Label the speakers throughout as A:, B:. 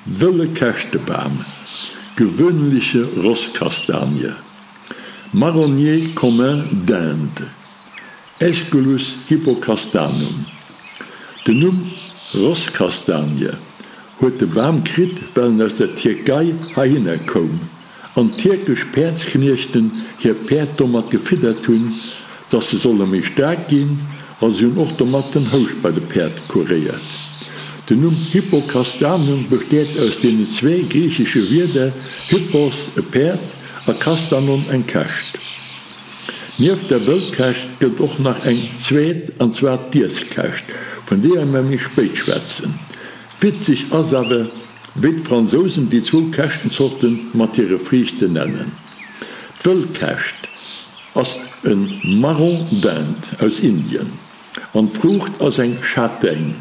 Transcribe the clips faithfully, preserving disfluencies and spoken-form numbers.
A: Wëlle Käschtebam, Gewöhnliche Rosskastanie, Marronnier commun d'Inde, Aesculus hippocastanum. Den Numm Rosskastanie huet de Bam kritt, well en aus der Tierkei heihinner koum an tierkesch Päerdskniechten hir Päerd domat gefiddert hunn, dass se solle méi staark ginn, a se hunn och domat den Houscht bei de Päerd kuréiert. Den Numm Hippocastanum besteet aus deenen zwee griichesche Wierder hippos, e Päerd, a kastanon, eng Käscht. Nieft der Wëllkäscht gëtt och nach eng zweet, an zwar d'Iesskäscht, vun deeër mer méi spéit schwätzen. Witzeg ass awer, wéi d'Fransousen déi zwou Käschtenzorte mat hire Friichten nennen. D'Wëllkäscht ass e Marron d'Inde aus Indien an d'Fruucht ass eng Châtaigne.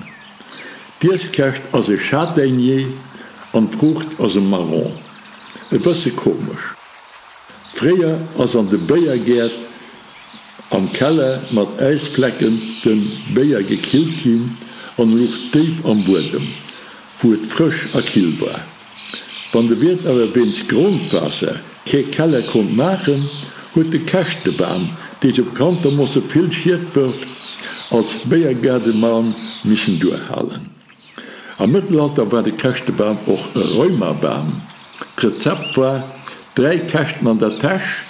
A: D'Iesskäscht ass e Châtaignier an d'Fruucht ass e Marron. E bësse komesch. Fréier ass an de Béiergäert am Keller mat Äisflecken de Béier gekillt ginn an e luch déif am Buedem, wou et frësch a kill war. Wann de Wiert awer wéinst Grondwaasser kee Keller konnt maachen, huet de Käschtebam, dee sou bekanntermosse vill Schied wërft, als Béiergaardeman missen duerhalen. Am Mëttelalter war de Käschtebam och e Rheumabam. D'Rezept war, Dräi Käschten an der Täsch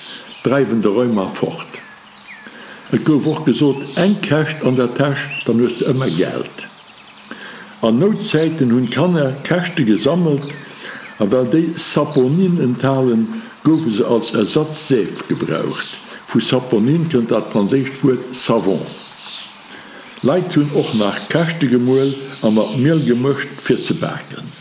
A: dreiwen de Rheuma fort. Et gouf och gesot, Eng Käscht an der Täsch, dann hues de ëmmer Geld. An Noutzäiten hunn d'Kanner Käschte gesammelt a well déi Saponin enthalen, goufe se als Ersatz-Seef gebraucht. Vu Saponin kënnt dat franséischt Wuert savon. Leit hunn och nach Käschte gemuel a mat Miel gemëscht fir ze baken.